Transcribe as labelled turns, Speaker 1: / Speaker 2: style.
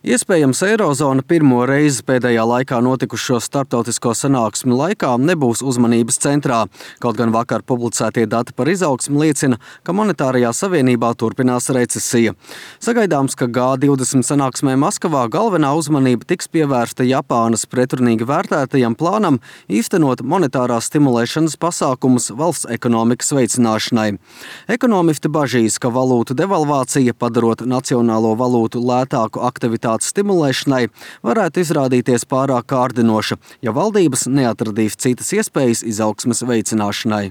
Speaker 1: Iespējams, Eirozona pirmo reizi pēdējā laikā notikušo starptautisko sanāksmi laikā nebūs uzmanības centrā. Kaut gan vakar publicētie dati par izaugsmi liecina, ka monetārajā savienībā turpinās recesija. Sagaidāms, ka G20 sanāksmē Maskavā galvenā uzmanība tiks pievērsta Japānas pretrunīgi vērtētajam plānam īstenot monetārās stimulēšanas pasākumus valsts ekonomikas veicināšanai. Ekonomisti bažīs, ka valūtu devalvācija, padarot nacionālo valūtu lētāku aktivitāti stimulēšanai, varētu izrādīties pārāk kārdinoša, ja valdības neatradīs citas iespējas izaugsmes veicināšanai.